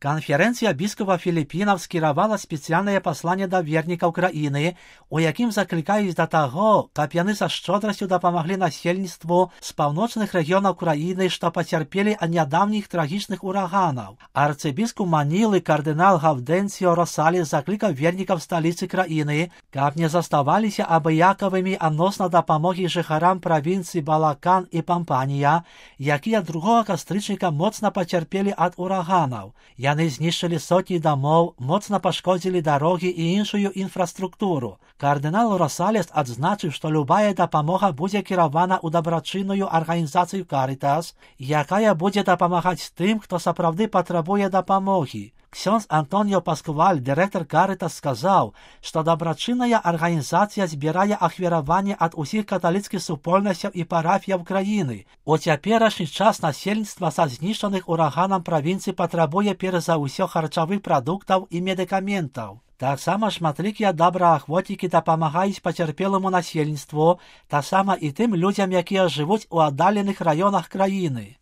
Канферэнцыя біскупаў Філіпінаў скіравала спецыяльнае пасланне да вернікаў краіны, у якім заклікаюць да таго, каб яны са шчодрасцю дапамаглі насельніцтву з паўночных рэгіёнаў краіны, што пацярпелі ад нядаўніх трагічных ураганаў. Арцыбіскуп Манілы кардынал Гаўдэнсіо Росалес заклікаў вернікаў сталіцы краіны, каб не заставаліся абыякавымі адносна дапамогі жыхарам правінцыі Балакан і Пампанія, якія 2 кастрычніка моцна пацярпелі ад ураганаў. Яны знішчылі сотні дамоў, моцна пашкодзілі дарогі і іншую інфраструктуру. Кардынал Росалес адзначыў, што любая дапамога будзе кіравана ў дабрачынную арганізацыю Карытас, якая будзе дапамагаць тым, хто сапраўды патрабуе дапамогі. Ksiądz Antonio Pasqual, дырэктар Карытас, сказаў, што дабрачынная арганізацыя збірае ахвяраванне ад усіх каталіцкіх супольнасцяў і парафіяў краіны. У цяперашні час насельніцтва са знішчаных ураганам правінцыі патрабуе перш за ўсё харчавых прадуктаў і медыкаментаў. Таксама шматлікія добраахвотнікі дапамагаюць пацярпеламу насельніцтву, таксама і тым людзям, якія жывуць у аддаленых раёнах краіны.